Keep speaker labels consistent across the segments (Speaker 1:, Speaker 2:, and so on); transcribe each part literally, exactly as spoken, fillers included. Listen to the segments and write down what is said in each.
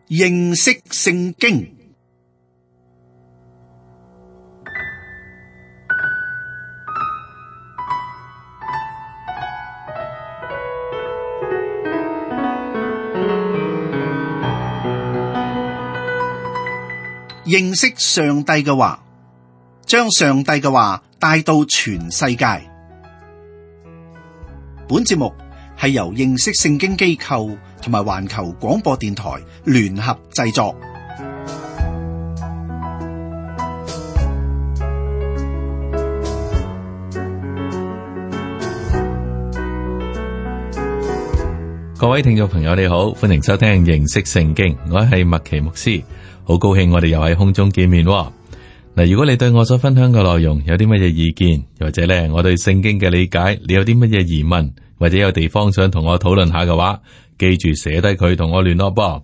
Speaker 1: 認識聖經。認識上帝嘅話，將上帝嘅話帶到全世界。本節目係由認識聖經機構同埋環球廣播電台聯合製作。
Speaker 2: 各位聽眾朋友你好，歡迎收聽認識聖經，我係麥奇牧師，好高興我哋又喺空中見面。嗱，如果你對我所分享嘅內容有啲乜嘢意見，又或者咧我對聖經嘅理解，你有啲乜嘢疑問，或者有地方想同我討論下嘅話，記住寫低佢同我聯絡噃。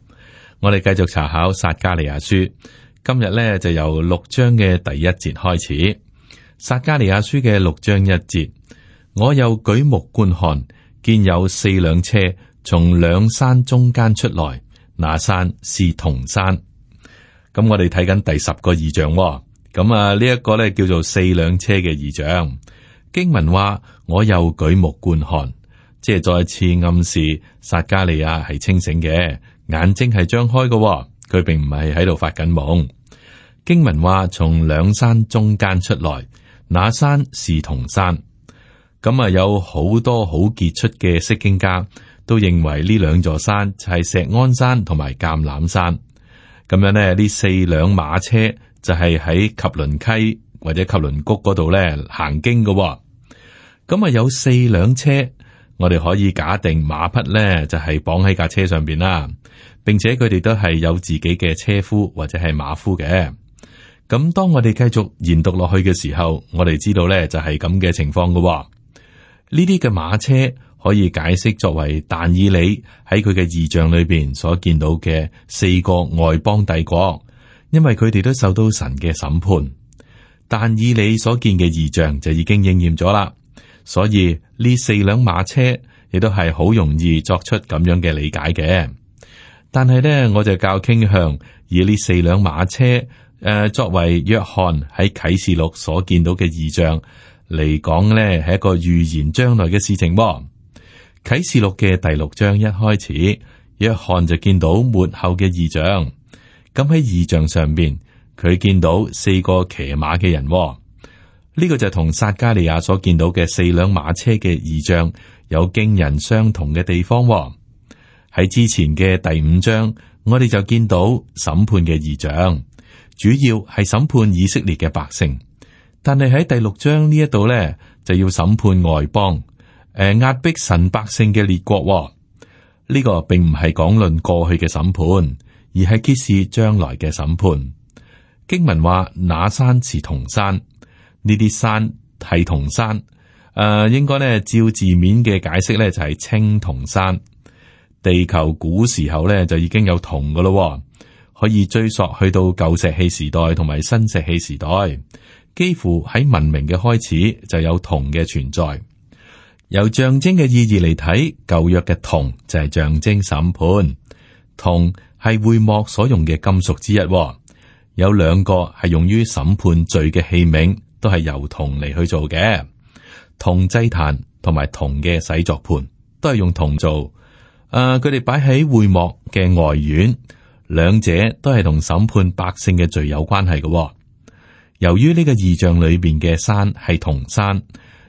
Speaker 2: 我哋繼續查考撒迦利亞書，今日咧就由六章嘅第一節開始。撒迦利亞書嘅六章一節，我又舉目觀看，見有四輛車從兩山中間出來，那山是銅山。咁我哋睇緊第十個異象，咁啊呢一個咧叫做四輛車嘅異象。經文話我又舉目觀看，即係再次暗示撒迦利亞係清醒嘅，眼睛係張開嘅，佢並唔係喺度發緊夢。經文話從兩山中間出來，那山是銅山。咁啊有好多好傑出嘅釋經家都認為呢兩座山就係錫安山同埋橄欖山。咁樣呢，呢四輛馬車就係喺汲淪溪或者汲淪谷嗰度咧行經嘅。咁啊有四輛車，我哋可以假定馬匹咧就係綁喺架車上邊啦，並且佢哋都係有自己嘅車夫或者係馬夫嘅。咁當我哋繼續研讀落去嘅時候，我哋知道咧就係咁嘅情況嘅。呢啲嘅馬車可以解釋作為但以理喺佢嘅異象裏邊所見到嘅四個外邦帝國，因為佢哋都受到神嘅審判。但以理所見嘅異象就已經應驗咗啦，所以呢四輛馬車亦都係好容易作出咁樣嘅理解嘅。但係呢，我就較傾向以呢四輛馬車誒、呃、作為約翰喺啟示錄所見到嘅異象嚟講呢，係一個預言將來嘅事情。啟示錄嘅第六章一開始，約翰就見到末後嘅異象。咁喺異象上邊，佢見到四個騎馬嘅人。呢、這個就同撒迦利亞所見到嘅四輛馬車嘅異象有驚人相同嘅地方。喺之前嘅第五章，我哋就見到審判嘅異象，主要係審判以色列嘅百姓。但係喺第六章呢一度咧，就要審判外邦，誒、呃、壓迫神百姓嘅列國、哦。呢、這個並唔係講論過去嘅審判，而係揭示將來嘅審判。經文話那山是銅山，呢啲山係銅山，誒、呃、應該咧照字面嘅解釋咧就係青銅山。地球古時候咧就已經有銅噶咯，可以追溯去到舊石器時代同埋新石器時代。幾乎喺文明嘅開始就有銅嘅存在。由象徵嘅意義嚟睇，舊約嘅銅就係象徵審判。銅係會幕所用嘅金屬之一，有兩個係用於審判罪嘅器皿，都係由銅嚟去做嘅。銅祭壇同埋銅嘅洗濯盤都係用銅做。誒、呃，佢哋擺喺會幕嘅外院，兩者都係同審判百姓嘅罪有關係嘅。由於呢個異象裏邊嘅山係銅山，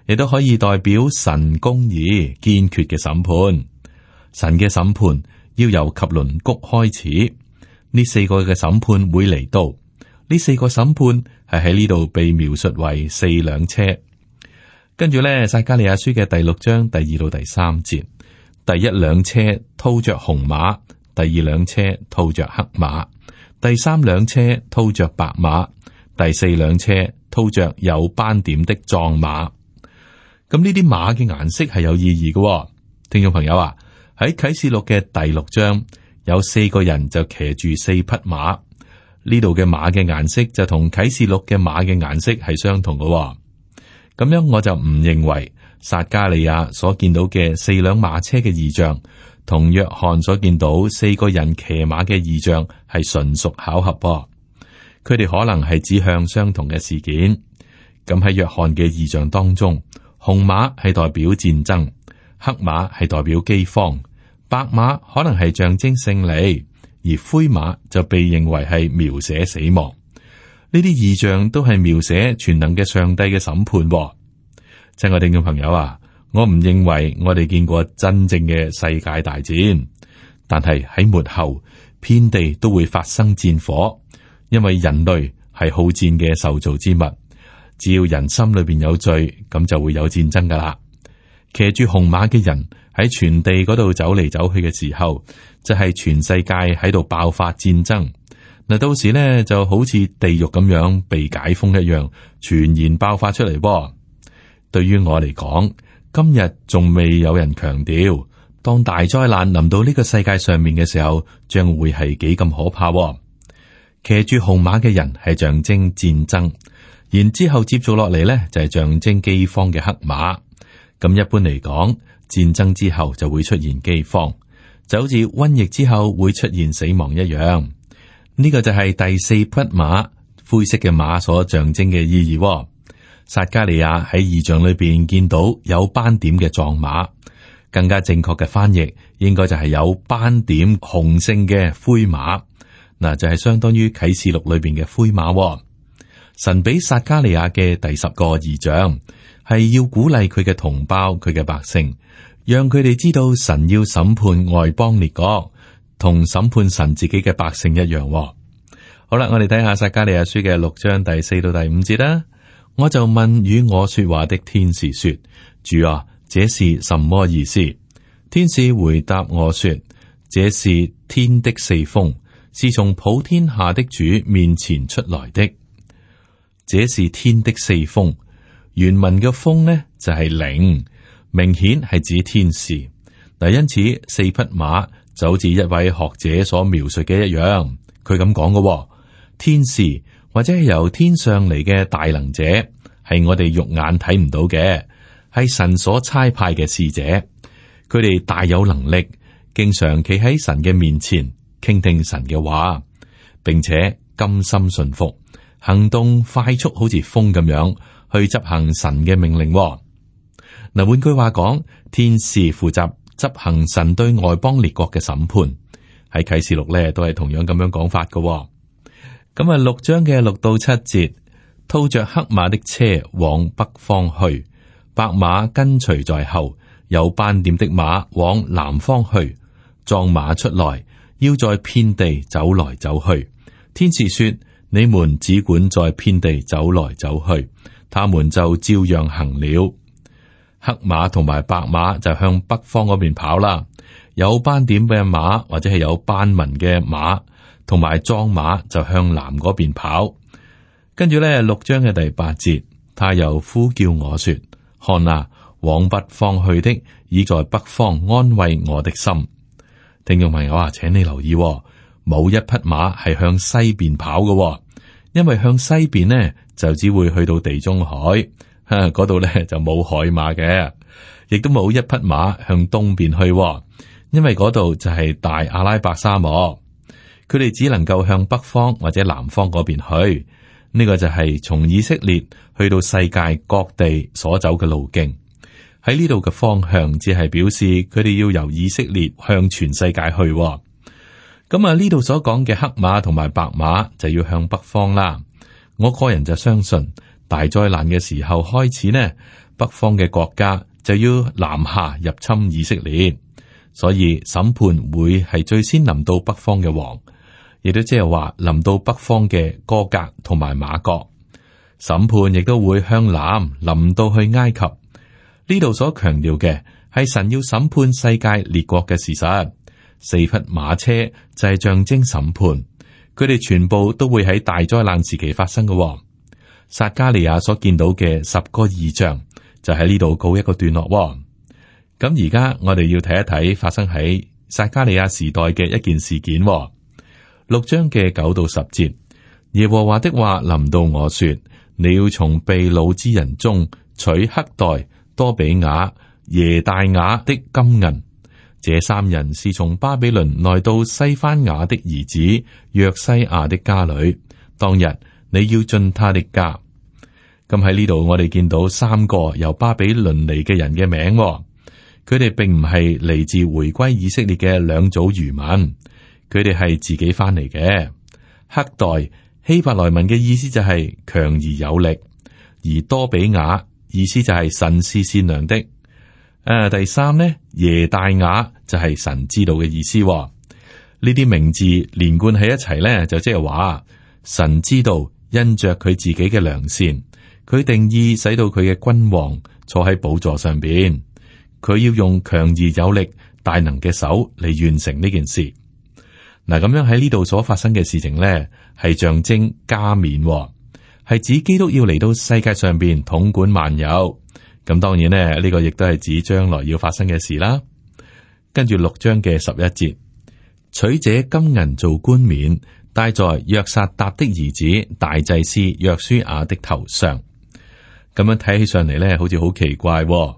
Speaker 2: 亦都可以代表神公義堅決嘅審判。神嘅審判要由汲淪谷開始，呢四個嘅審判會嚟到。呢四個審判係喺呢度被描述為四輛車。跟住咧，撒迦利亞書嘅第六章第二到第三節，第一輛車套着紅馬，第二輛車套着黑馬，第三輛車套着白馬。第四輛車套着有斑點的壯馬，咁呢啲馬嘅顏色係有意義嘅、哦。聽眾朋友啊，喺啟示錄嘅第六章有四個人就騎住四匹馬，呢度嘅馬嘅顏色就同啟示錄嘅馬嘅顏色係相同嘅、哦。咁樣我就唔認為撒迦利亞所見到嘅四輛馬車嘅異象同約翰所見到四個人騎馬嘅異象係純屬巧合噃。佢哋可能係指向相同嘅事件。咁喺約翰嘅異象當中，紅馬係代表戰爭，黑馬係代表饑荒，白馬可能係象徵勝利，而灰馬就被認為係描寫死亡。呢啲異象都係描寫全能嘅上帝嘅審判喎。親愛的聽眾朋友啊，我唔認為我哋見過真正嘅世界大戰，但係喺末後，遍地都會發生戰火，因為人類係好戰嘅受造之物。只要人心裏邊有罪，咁就會有戰爭噶啦。騎住紅馬嘅人喺全地嗰度走嚟走去嘅時候，就係全世界喺度爆發戰爭。嗱，到時呢就好似地獄咁樣被解封一樣，全然爆發出嚟噃。對於我嚟講，今日仲未有人強調，當大災難臨到呢個世界上面嘅時候，將會係幾咁可怕喎。騎住紅馬嘅人係象徵戰爭。然之後接續落嚟呢，就係象徵饑荒嘅黑馬。咁一般嚟講，戰爭之後就會出現饑荒，就好似瘟疫之後會出現死亡一樣。呢個就係第四匹馬，灰色嘅馬所象徵嘅意義。撒迦利亞喺異象裏邊見到有斑點嘅壯馬，更加正確嘅翻譯應該就係有斑點雄性嘅灰馬。嗱，就係相當於啟示錄裏邊嘅灰馬。神俾撒迦利亞嘅第十個異象，係要鼓勵佢嘅同胞、佢嘅百姓，讓佢哋知道神要審判外邦列國，同審判神自己嘅百姓一樣。好啦，我哋睇下撒迦利亞書嘅六章第四到第五節啦。我就問與我說話的天使說：主啊，這是什麼意思？天使回答我說：這是天的四風，是從普天下的主面前出來的。這是天的四風，原文嘅風呢就係靈，明顯係指天使。嗱，因此四匹馬就好似一位學者所描述嘅一樣，佢咁講嘅，天使或者係由天上嚟嘅大能者，係我哋肉眼睇唔到嘅，係神所差派嘅使者。佢哋大有能力，經常企喺神嘅面前傾聽神嘅話，並且甘心順服。行動快速，好似風咁樣去執行神嘅命令。嗱，換句話講，天使負責執行神對外邦列國嘅審判。喺啟示錄咧，都係同樣咁樣講法嘅。咁啊，六章嘅六到七節，套着黑馬的車往北方去，白馬跟隨在後，有斑點的馬往南方去。壯馬出來，要在遍地走來走去。天使說：你們只管在遍地走來走去，他們就照樣行了。黑馬同埋白馬就向北方嗰邊跑啦，有斑點嘅馬或者係有斑紋嘅馬，同埋壯馬就向南嗰邊跑。跟住咧，六章嘅第八節，他又呼叫我說：看啊，往北方去的已在北方安慰我的心。聽眾朋友啊，請你留意，冇一匹馬係向西邊跑嘅。因為向西邊呢，就只會去到地中海，嗰度咧就冇海馬嘅，亦都冇一匹馬向東邊去，因為嗰度就係大阿拉伯沙漠。佢哋只能夠向北方或者南方嗰邊去，呢、這個就係從以色列去到世界各地所走嘅路徑。喺呢度嘅方向只係表示佢哋要由以色列向全世界去。咁啊，呢度所講嘅黑馬同埋白馬就要向北方啦。我個人就相信大災難嘅時候開始呢，北方嘅國家就要南下入侵以色列，所以審判會係最先臨到北方嘅王，亦都即係話臨到北方嘅哥格同埋馬國。審判亦都會向南臨到去埃及。呢度所強調嘅係神要審判世界列國嘅事實。四匹馬車就係象徵審判，佢哋全部都會喺大災難時期發生嘅、哦。撒迦利亞所見到嘅十個異象就喺呢度告一個段落、哦。咁而家我哋要睇一睇發生喺撒迦利亞時代嘅一件事件、哦。六章嘅九到十節，耶和華的話臨到我說：你要從被擄之人中取黑代、多比雅、耶大雅的金銀。這三人是從巴比倫來到西番雅的兒子約西亞的家裏。當日你要進他的家。咁喺呢度，我哋見到三個由巴比倫嚟嘅人嘅名，佢哋並唔係嚟自回歸以色列嘅兩組餘民，佢哋係自己翻嚟嘅。黑代希伯來文嘅意思就係強而有力，而多比雅意思就係神是善良的。誒、啊，第三呢，耶大雅就係神知道嘅意思。呢啲名字連貫喺一齊咧，就即係話神知道因着佢自己嘅良善，佢定意使到佢嘅君王坐喺寶座上邊，佢要用強而有力、大能嘅手嚟完成呢件事。嗱，咁樣喺呢度所發生嘅事情咧，係象徵加冕，係指基督要嚟到世界上邊統管萬有。咁當然咧，呢個亦都係指將來要發生嘅事啦。跟住六章嘅十一節，取這金銀做冠冕，戴在約撒答的兒子大祭司約書亞的頭上。咁樣睇起上嚟咧，好似好奇怪。佢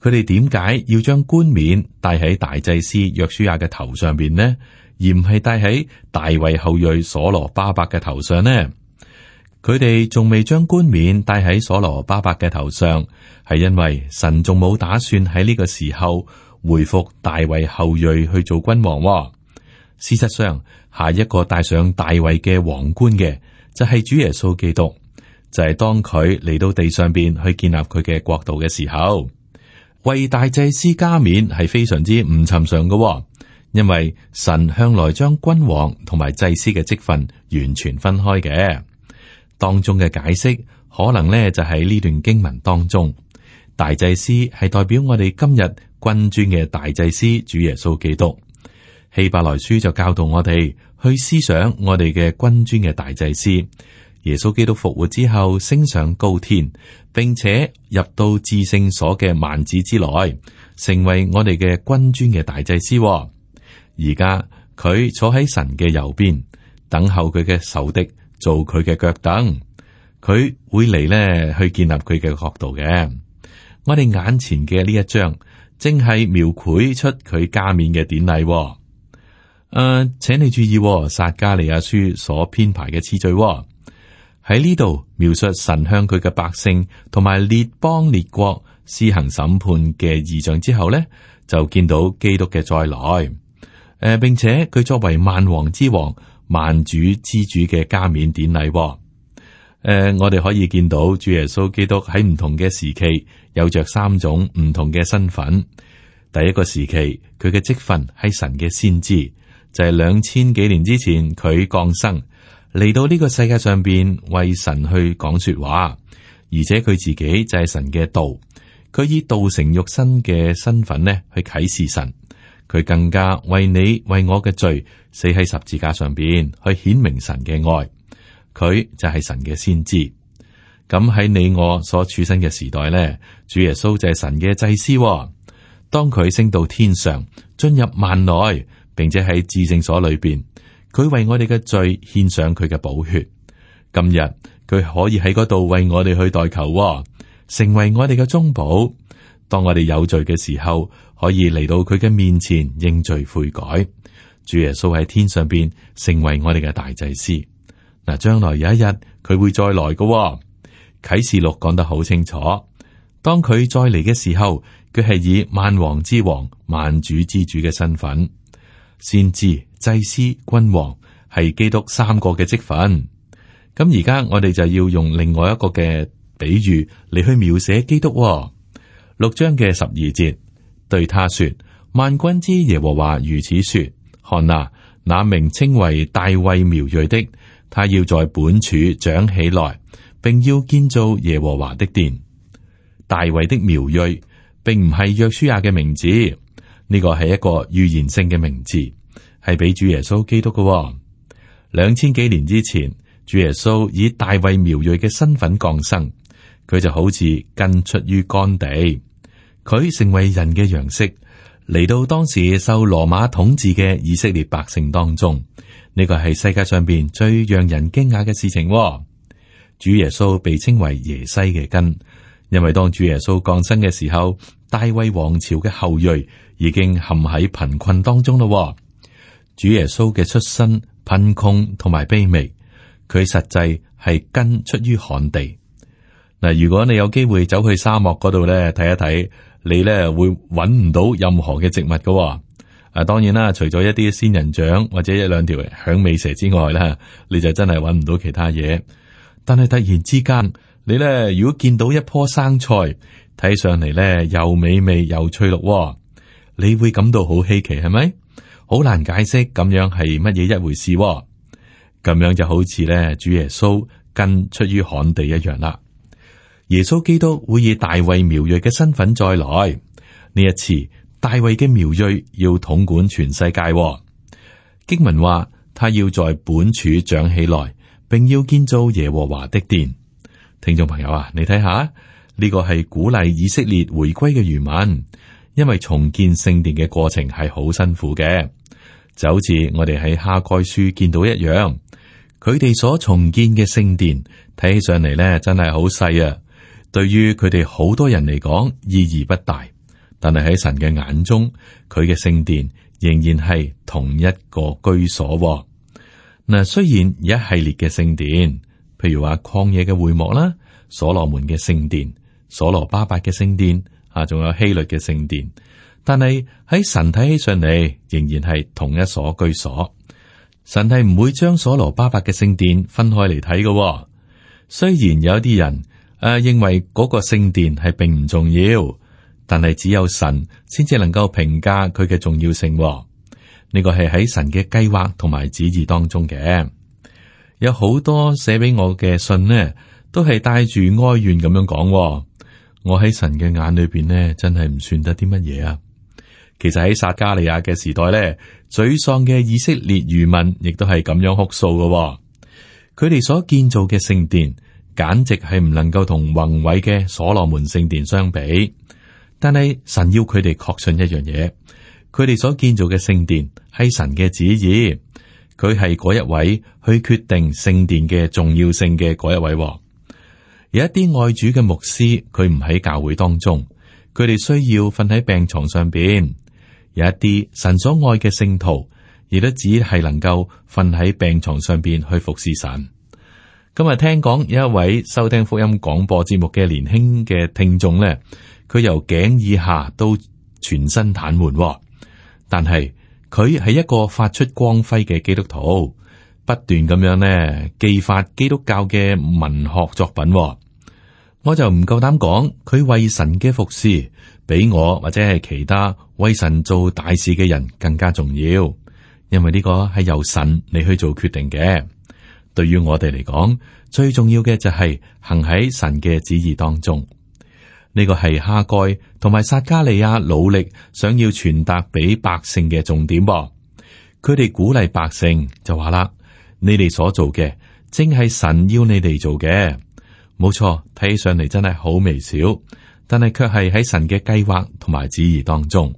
Speaker 2: 哋點解要將冠冕戴喺大祭司約書亞嘅頭上邊呢？而唔係戴喺大衛後裔所羅巴伯嘅頭上呢？佢哋仲未將冠冕戴喺所羅巴伯嘅頭上，係因為神仲冇打算喺呢個時候回復大衛後裔去做君王。事實上，下一個戴上大衛嘅皇冠嘅就係主耶穌基督，就係當佢嚟到地上邊去建立佢嘅國度嘅時候，為大祭司加冕係非常之唔尋常嘅。因為神向來將君王同埋祭司嘅職分完全分開嘅。當中嘅解釋可能呢就喺呢段經文當中，大祭司係代表我哋今日君尊嘅大祭司主耶穌基督。希伯來書就教導我哋去思想我哋嘅君尊嘅大祭司耶穌基督復活之後升上高天，並且入到至聖所嘅幔子之內，成為我哋嘅君尊嘅大祭司。而家佢坐喺神嘅右邊，等候佢嘅仇敵做佢嘅腳凳。佢會嚟呢去建立佢嘅國度嘅。我哋眼前嘅呢一章，正係描繪出佢加冕嘅典禮。誒、呃，請你注意、哦、撒迦利亞書所編排嘅次序喺呢度描述神向佢嘅百姓同埋列邦列國施行審判嘅異象之後呢，就見到基督嘅再來。誒、呃，並且佢作為萬王之王、萬主之主嘅加冕典禮。誒、呃，我哋可以見到主耶穌基督喺唔同嘅時期有着三種唔同嘅身份。第一個時期，佢嘅職分係神嘅先知，就係兩千幾年之前佢降生嚟到呢個世界上邊為神去講說話，而且佢自己就係神嘅道。佢以道成肉身嘅身份呢去啟示神。佢更加為你為我嘅罪死喺十字架上邊，去顯明神嘅愛。佢就係神嘅先知。咁喺你我所處身嘅時代呢，主耶穌就係神嘅祭司。當佢升到天上，進入幔內，並且喺至聖所裏邊，佢為我哋嘅罪獻上佢嘅寶血。今日佢可以喺嗰度為我哋去代求，成為我哋嘅中保。當我哋有罪嘅時候，可以嚟到佢嘅面前認罪悔改。主耶穌喺天上邊成為我哋嘅大祭司。嗱，將來有一日佢會再來嘅。啟示錄講得好清楚，當佢再嚟嘅時候，佢係以萬王之王、萬主之主嘅身份。先知、祭司、君王係基督三個嘅職分。咁而家我哋就要用另外一個嘅比喻嚟去描寫基督。六章嘅十二節，對他說：萬軍之耶和華如此說，看哪，那名稱為大衛苗裔的，他要在本處長起來，並要建造耶和華的殿。大衛的苗裔並唔係約書亞嘅名字，呢個係一個預言性嘅名字，係俾主耶穌基督嘅。兩千幾年之前，主耶穌以大衛苗裔嘅身份降生。佢就好似根出於乾地，佢成為人嘅樣式，嚟到當時受羅馬統治嘅以色列百姓當中。呢個係世界上邊最讓人驚訝嘅事情。主耶穌被稱為耶西嘅根，因為當主耶穌降生嘅時候，大衛王朝嘅後裔已經陷喺貧困當中咯。主耶穌嘅出身貧窮同埋卑微，佢實際係根出於旱地。嗱，如果你有機會走去沙漠嗰度咧睇一睇，你咧會揾唔到任何嘅植物噶。啊，當然啦，除咗一啲仙人掌或者一兩條響尾蛇之外啦，你就真係揾唔到其他嘢。但係突然之間，你咧如果見到一棵生菜，睇上嚟咧又美味又翠綠，你會感到好稀奇，係咪？好難解釋咁樣係乜嘢一回事。咁樣就好似咧主耶穌根出於旱地一樣啦。耶穌基督會以大衛苗裔嘅身份再來，呢一次。大衛嘅苗裔要統管全世界。經文話，他要在本處長起來，並要建造耶和華的殿。聽眾朋友啊，你睇下呢個係鼓勵以色列回歸嘅餘民，因為重建聖殿嘅過程係好辛苦嘅，就好似我哋喺哈該書見到一樣。佢哋所重建嘅聖殿睇起上嚟咧，真係好細啊。對於佢哋好多人嚟講，意義不大。但係喺神嘅眼中，佢嘅聖殿仍然係同一個居所。嗱，雖然有一系列嘅聖殿，譬如話曠野嘅會幕啦、所羅門嘅聖殿、所羅巴伯嘅聖殿啊，仲有希律嘅聖殿，但係喺神睇起上嚟，仍然係同一所居所。神係唔會將所羅巴伯嘅聖殿分開嚟睇嘅。雖然有啲人誒、啊、認為嗰個聖殿係並唔重要。但係只有神先至能夠評價佢嘅重要性。呢個係喺神嘅計劃同埋旨意當中嘅。有好多寫俾我嘅信呢，都係帶住哀怨咁樣講。我喺神嘅眼裏邊呢，真係唔算得啲乜嘢啊。其實喺撒迦利亞嘅時代呢，沮喪嘅以色列餘民亦都係咁樣哭訴嘅。佢哋所建造嘅聖殿，簡直係唔能夠同宏偉嘅所羅門聖殿相比。但係神要佢哋確信一樣嘢，佢哋所建造嘅聖殿係神嘅旨意，佢係嗰一位去決定聖殿嘅重要性嘅嗰一位。有一啲愛主嘅牧師，佢唔喺教會當中，佢哋需要瞓喺病床上邊。有一啲神所愛嘅聖徒，亦都只係能夠瞓喺病床上邊去服侍神。今日聽講有一位收聽福音廣播節目嘅年輕嘅聽眾咧。佢由頸以下都全身癱瘓，但係佢係一個發出光輝嘅基督徒，不斷咁樣呢寄發基督教嘅文學作品。我就唔夠膽講佢為神嘅服侍比我或者係其他為神做大事嘅人更加重要，因為呢個係由神嚟去做決定嘅。對於我哋嚟講，最重要嘅就係行喺神嘅旨意當中。呢個係哈該同埋撒迦利亞努力想要傳達俾百姓嘅重點。佢哋鼓勵百姓就話啦：你哋所做嘅正係神要你哋做嘅，冇錯，睇起上嚟真係好微小，但係卻係喺神嘅計劃同埋旨意當中。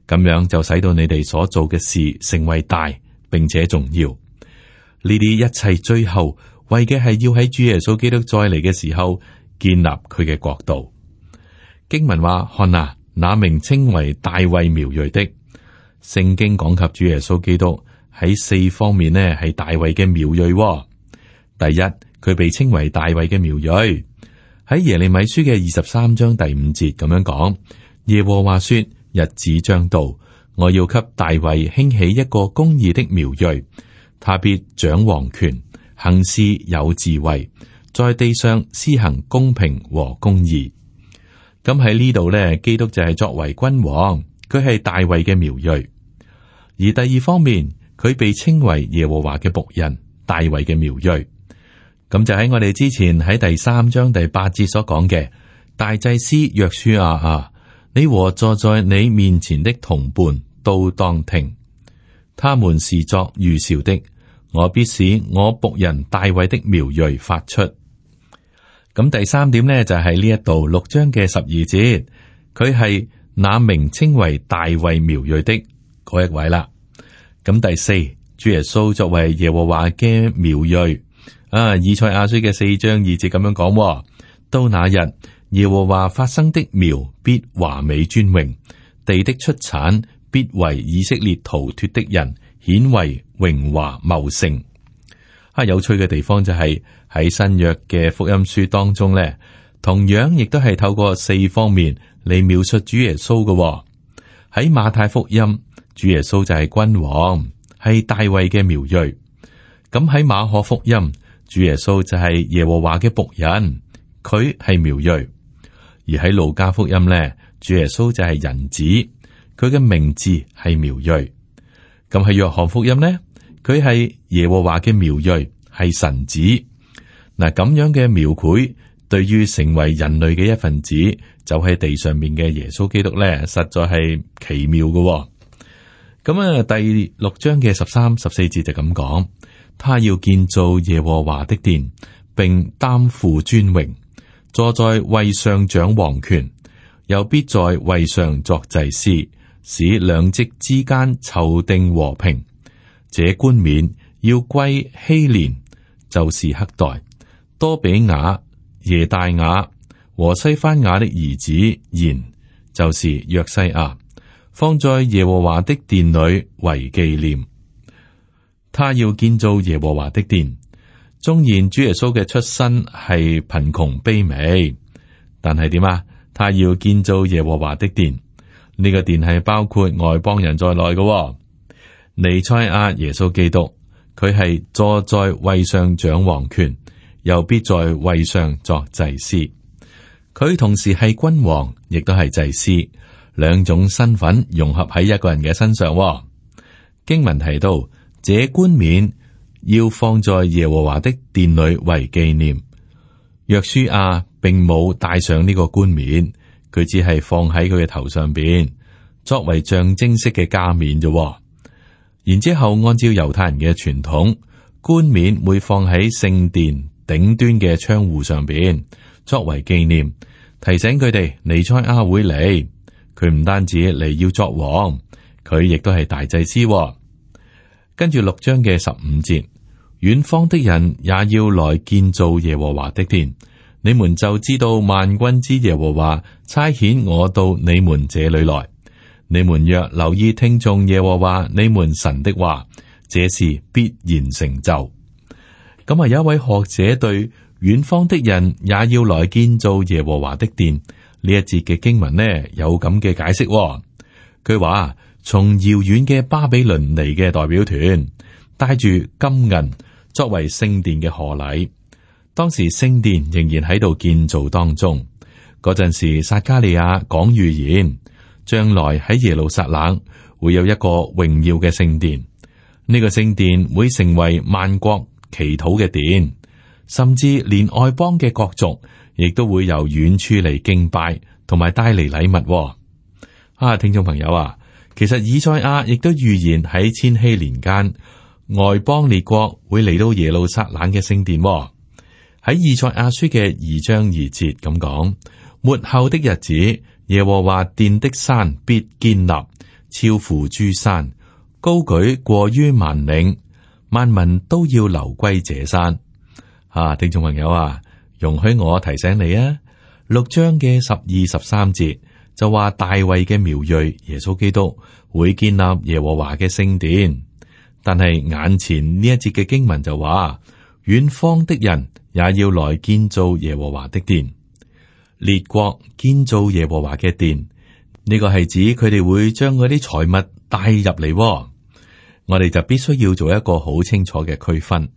Speaker 2: 咁樣就使到你哋所做嘅事成為大，並且重要。呢啲一切最後為嘅係要喺主耶穌基督再嚟嘅時候建立佢嘅國度。經文話：看啊，那名稱為大衛苗裔的。聖經講及主耶穌基督喺四方面呢，係大衛嘅苗裔。第一，佢被稱為大衛嘅苗裔。喺耶利米書嘅二十三章第五節咁樣講：耶和華說，日子將到，我要給大衛興起一個公義的苗裔，他必掌王權，行事有智慧，在地上施行公平和公義。咁喺呢度咧，基督就係作為君王，佢係大衛嘅苗裔。而第二方面，佢被稱為耶和華嘅僕人，大衛嘅苗裔。咁就喺我哋之前喺第三章第八節所講嘅大祭司約書亞啊，你和坐在你面前的同伴都當聽，他們是作預兆的，我必使我僕人大衛的苗裔發出。咁第三點呢，就係呢一度六章嘅十二節，佢係那名稱為大衛苗裔的嗰一位啦。咁第四，主耶穌作為耶和華嘅苗裔啊，以賽亞書嘅四章二節咁樣講，到那日耶和華發生的苗必華美尊榮，地的出產必為以色列逃脫的人顯為榮華茂盛。啊，有趣嘅地方就係、是、喺新約嘅福音書當中咧，同樣亦都係透過四方面嚟描述主耶穌嘅、哦。喺馬太福音，主耶穌就係君王，係大衛嘅苗裔。咁喺馬可福音，主耶穌就係耶和華嘅僕人，佢係苗裔。而喺路加福音咧，主耶穌就係人子，佢嘅名字係苗裔。咁喺約翰福音咧，佢係耶和華嘅苗裔，係神子。嗱，咁樣嘅描繪，對於成為人類嘅一份子，就喺地上面嘅耶穌基督咧，實在係奇妙嘅、哦。咁啊，第六章嘅十三、十四節就咁講，他要建造耶和華的殿，並擔負尊榮，坐在位上掌王權，又必在位上作祭司，使兩職之間籌定和平。這冠冕要歸希連，就是黑代、多比雅、耶大雅和西番雅的兒子延，就是約西亞，放在耶和華的殿裏為紀念。他要建造耶和華的殿。縱然主耶穌嘅出身係貧窮卑微，但係點啊？他要建造耶和華的殿，呢、這個殿係包括外邦人在內嘅、哦。彌賽亞耶穌基督，佢係坐在位上掌王權，又必在位上作祭司。佢同時係君王，亦都係祭司，兩種身份融合喺一個人嘅身上、哦。經文提到，這冠冕要放在耶和華的殿裏為紀念。約書亞並冇戴上呢個冠冕，佢只係放喺佢嘅頭上邊，作為象徵式嘅加冕啫。然之後，按照猶太人嘅傳統，冠冕會放喺聖殿頂端嘅窗戶上邊，作為紀念，提醒佢哋彌賽亞會嚟。佢唔單止嚟要作王，佢亦都係大祭司。跟住六章嘅十五節，遠方的人也要來建造耶和華的殿，你們就知道萬軍之耶和華差遣我到你們這裏來。你們若留意聽從耶和華你們神的話，這事必然成就。咁啊，有一位學者對遠方的人也要來建造耶和華的殿呢一節嘅經文呢，有咁嘅解釋。佢話，從遙遠嘅巴比倫嚟嘅代表團，帶住金銀作為聖殿嘅賀禮。當時聖殿仍然喺度建造當中，嗰陣時撒迦利亞講預言，將來喺耶路撒冷會有一個榮耀嘅聖殿。呢個聖殿會成為萬國祈禱嘅殿，甚至連外邦嘅國族亦都會由遠處嚟敬拜，同埋帶嚟禮物。啊，聽眾朋友啊！其實以賽亞亦都預言喺千禧年間，外邦列國會嚟到耶路撒冷嘅聖殿、哦。喺以賽亞書嘅二章二節咁講：末後的日子，耶和華殿的山必堅立，超乎諸山，高舉過於萬嶺，萬民都要流歸這山。啊，聽眾朋友啊，容許我提醒你啊，六章嘅十二、十三節。就話大衛嘅苗裔耶穌基督會建立耶和華嘅聖殿，但係眼前呢一節嘅經文就話，遠方的人也要來建造耶和華的殿，列國建造耶和華嘅殿，呢個係指佢哋會將嗰啲財物帶入嚟。我哋就必須要做一個好清楚嘅區分，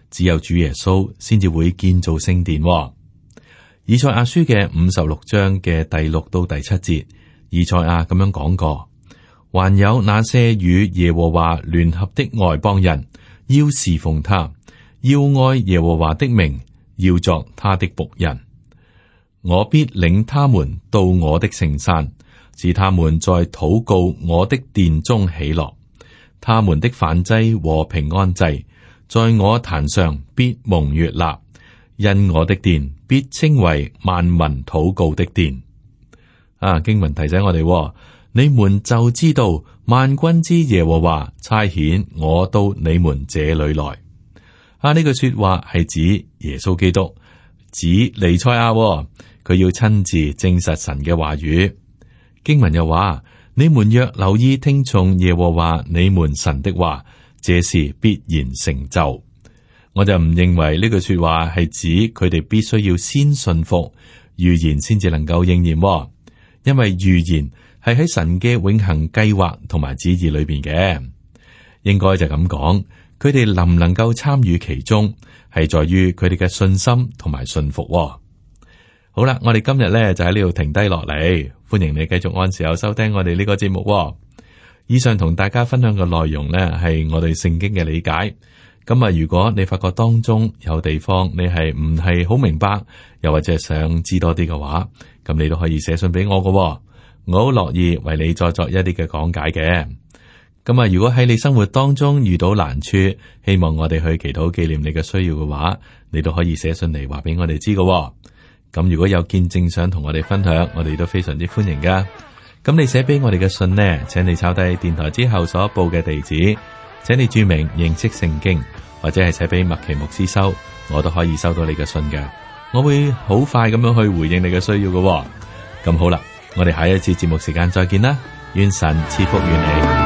Speaker 2: 只有主耶穌先至會建造聖殿。以賽亞書嘅五十六章嘅第六到第七節，以賽亞咁樣講過，還有那些與耶和華聯合的外邦人，要侍奉他，要愛耶和華的名，要作他的僕人。我必領他們到我的聖山，使他們在禱告我的殿中喜樂。他們的燔祭和平安祭，在我壇上必蒙悅納。因我的殿必稱為萬民禱告的殿。啊，經文提醒我哋，你們就知道萬軍之耶和華差遣我到你們這裏來。啊，呢句說話係指耶穌基督指彌賽亞，佢要親自證實神嘅話語。經文又話：你們若留意聽從耶和華你們神的話，這事必然成就。我就唔認為呢句說話係指佢哋必須要先信服預言先至能夠應驗，因為預言係喺神嘅永恆計劃同埋旨意裏邊嘅。應該就咁講，佢哋能唔能夠參與其中，係在於佢哋嘅信心同埋信服。好啦，我哋今日咧就喺呢度停低落嚟，歡迎你繼續按時候收聽我哋呢個節目。以上同大家分享嘅內容呢，係我對聖經嘅理解。咁啊，如果你發覺當中有地方你係唔係好明白，又或者係想知多啲嘅話，咁你都可以寫信俾我㗎，我好樂意為你再作一啲嘅講解嘅。咁啊，如果喺你生活當中遇到難處，希望我哋去祈禱紀念你嘅需要嘅話，你都可以寫信嚟話俾我哋知㗎。咁如果有見證想同我哋分享，我哋都非常之歡迎噶。咁你寫俾我哋嘅信呢，請你抄低電台之後所報嘅地址，請你注明認識聖經，或者係寫俾麥奇牧師收，我都可以收到你嘅信嘅。我會好快咁樣去回應你嘅需要嘅。咁好啦，我哋下一次節目時間再見啦，願神賜福於你。